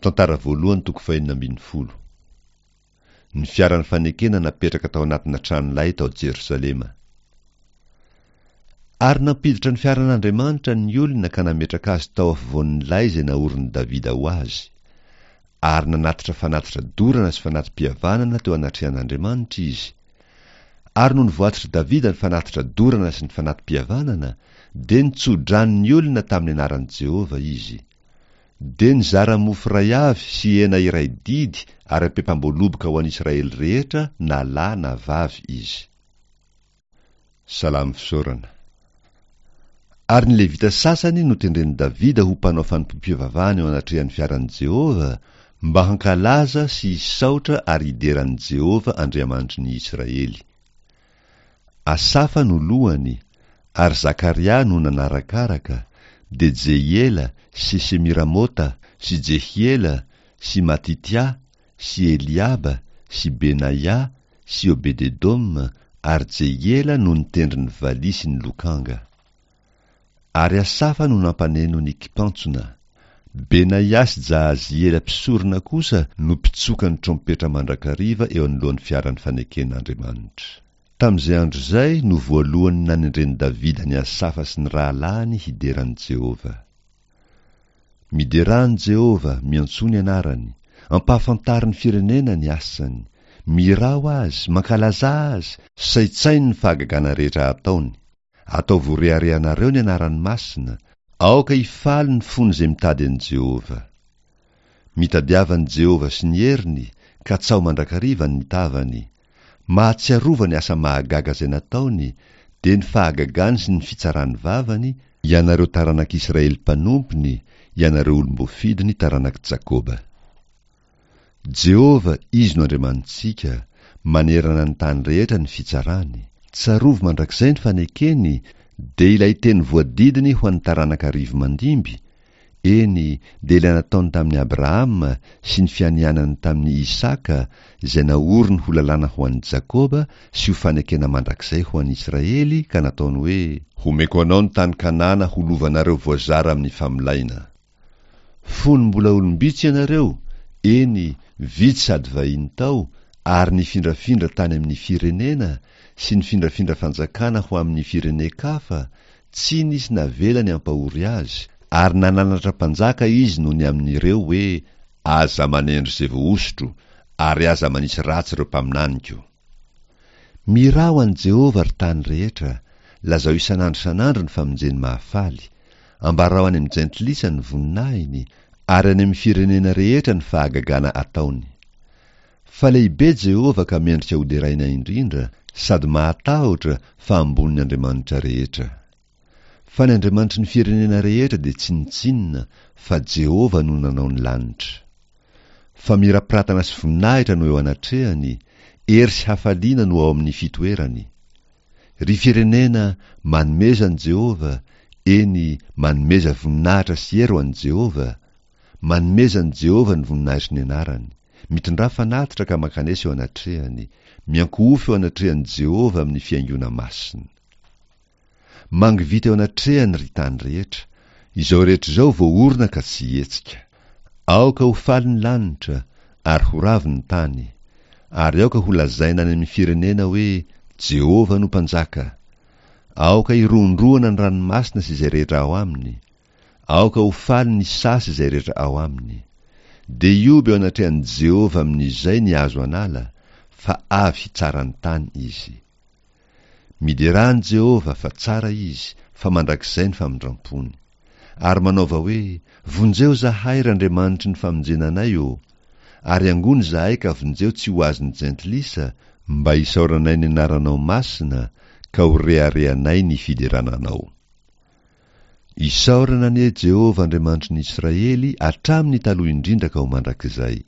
Tantara voalohany toko fahenina ambin'ny folo. Ny fiaran'ny fanekena napetraka tao anatina tranolay tao Jerosalema. Ary nampiditra ny fiaran'Andriamanitra ny olona ka nametraka azy tao afovoan'ny lay izay naorin'i Davida ho azy. Ary nanatitra fanatitra dorana sy fanati-pihavanana teo anatrehan'Andriamanitra izy. Ary nony voatitr'i Davida ny fanatitra dorana sy ny fanati-pihavanana, dia nitso-drano ny olona tamin'ny anaran'i Jehovah izy. Dia nizara mofo iray avy sy hena iray didy ary ampempam-boaloboka ho an'Israely rehetra na lahy na vavy izy. Salamo fisaorana. Ary ny Levita sasany notendren'i Davida ho mpanao fanompoam-pivavahana eo anatrehan'ny fiaran'i Jehovah, mba hankalaza sy hisaotra ary hidera an'i Jehovah Andriamanitry ny Israely. Asafa no lohany, ary Zakaria no nanarakaraka, dia Jehiela sy Semiramota sy Jehiela sy Matitia sy Eliaba sy Benaia sy Obed-edoma ary Jehiela no nitendry ny valiha sy ny lokanga. Ary Asafa no nampaneno ny kipantsona. Benaia sy Jahaziela mpisorona kosa no mpitsoka ny trompetra mandrakariva eo anoloan'ny fiaran'ny faneken'Andriamanitra. Tamin'izay andro izay no voalohany nanendren'i Davida an'i Asafa sy ny rahalahiny hidera an'i Jehovah. Miderà an'i Jehovah, miantsoa ny anarany, ampahafantaro ny firenena ny asany, mihirà ho azy, mankalazà azy, saintsaino ny fahagagana rehetra ataony. Ataovy ho reharehanareo ny anarany masina, aoka hifaly ny fon'izay mitady an'i Jehovah. Mitadiava an'i Jehovah sy ny heriny, katsaho mandrakariva ny tavany. Mahatsiarova ny asa mahagaga izay nataony, dia ny fahagagany sy ny fitsaran'ny vavany, ianareo taranak'Israely mpanompony, ianareo olom-boafidiny taranak'i Jakoba. Jehovah, Izy no Andriamanitsika, manerana ny tany rehetra ny fitsarany. Tsarovy mandrakizay ny fanekeny, dia ilay teny voadidiny ho an'ny taranaka arivo mandimby, eny, dia ilay nataony tamin'i Abrahama sy ny fianianany tamin'i Isaka, izay naoriny ho lalàna ho an'i Jakoba sy ho fanekena mandrakizay ho an'i Israely, ka nataony hoe. Homeko anao ny tany Kanana ho lovanareo voazara amin'ny famolaina. Fony mbola olom-bitsy ianareo, eny, vitsy sady vahiny tao, ary nifindrafindra tany amin'ny firenena, sy nifindrafindra fanjakana ho amin'ny firenen-kafa, tsy nisy navelany hampahory azy, ary nananatra mpanjaka izy noho ny amin'ireo hoe, Aza manendry izay voahosotro, ary aza manisy ratsy ireo mpaminaniko. Mirà ho an'i Jehovah, ry tany rehetra, lazao isan'andro isan'andro ny famonjeny mahafaly, ambarao any amin'ny jentilisa ny voninahiny, ary any amin'ny firenena rehetra ny fahagagana ataony. Fa lehibe Jehovah ka mendrika hoderaina indrindra, sady mahatahotra fa ambonin'ny andriamanitra rehetra. Fa ny andriamanitry ny firenena rehetra dia tsinontsinona, fa Jehovah no nanao ny lanitra. Famirapiratana sy voninahitra no eo anatrehany, hery sy hafaliana no ao amin'ny fitoerany. Ry firenena, manomeza an'i Jehovah, eny, manomeza voninahitra sy hery ho an'i Jehovah, manomeza an'i Jehovah ny voninahitry ny anarany. Mitondrà fanatitra ka mankanesa eo anatrehany, miankohofy eo anatrehan'i Jehovah amin'ny fihaingoana masina. Mangovita eo anatrehany ry tany rehetra, izao rehetra izao voaorina ka tsy hihetsika. Aoka ho faly ny lanitra, ary ho ravo ny tany, ary aoka ho lazaina any amin'ny firenena hoe, Jehovah no Mpanjaka! Aoka hirohondrohona ny ranomasina sy izay rehetra ao aminy, aoka ho faly ny saha sy izay rehetra ao aminy. Dia hihoby eo anatrehan'i Jehovah amin'izay ny hazo an'ala, fa avy hitsara ny tany izy. Miderà an'i Jehovah, fa tsara izy, fa mandrakizay ny famindram-pony. Ary manaova hoe, Vonjeo izahay, ry Andriamanitry ny famonjena anay ô! Ary angony izahay ka vonjeo tsy ho azon'ny jentilisa, mba hisaoranay ny anaranao masina, ka ho reharehanay ny fiderana anao. Isaorana anie Jehovah Andriamanitry ny Israely hatramin'ny taloha indrindra ka ho mandrakizay.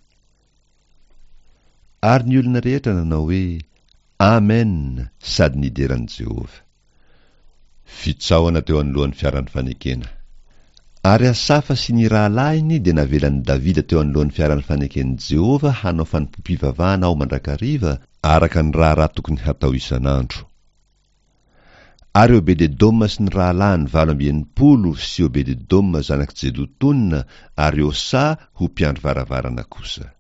Ary ny olona rehetra nanao hoe, Amen! sady nidera an'i Jehovah. Fitsaohana teo anoloan'ny fiaran'ny fanekena. Ary Asafa sy ny rahalahiny dia navelan'i Davida teo anoloan'ny fiaran'ny faneken'i Jehovah hanao fanompoam-pivavahana ao mandrakariva, araka ny raharaha tokony hatao isan'andro. Ary Obed-edoma sy ny rahalahiny 68 sy Obed-edoma zanak'i Jedotona ary Hosa ho mpiandry varavarana kosa.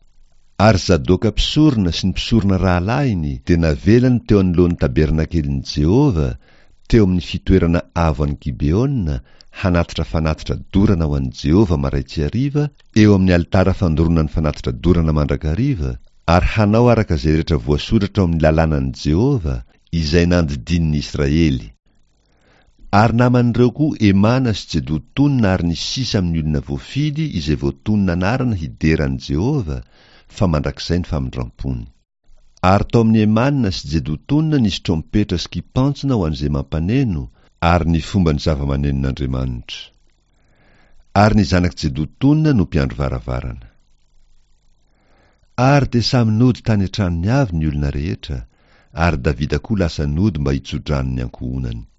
Ary Zadoka mpisorona sy ny mpisorona rahalahiny dia navelany teo anoloan'ny tabernakelin'i Jehovah, teo amin'ny fitoerana avo any Gibeona, hanatitra fanatitra dorana ho an'i Jehovah marain-tsy hariva, eo amin'ny alitara fandoroana ny fanatitra dorana mandrakariva, ary hanao araka izay rehetra voasoratra ao amin'ny lalànan'i Jehovah, izay nandidiany ny Israely. Ary naman'ireo koa Hemana sy Jedotona ary ny sisa amin'ny olona voafidy izay voatonona anarana hidera an'i Jehovah, fa mandrakizay ny famindrampony. Ary tao amin'i Hemana sy Jedotona nisy trompetra sy kipantsona ho an'izay mampaneno, ary ny fomban'ny zava-manenon'Andriamanitra. Ary ny zanak'i Jedotona no mpiandry varavarana. Ary dia samy nody tany an-tranony avy ny olona rehetra, ary Davida koa lasa nody mba hitso-drano ny ankohonany.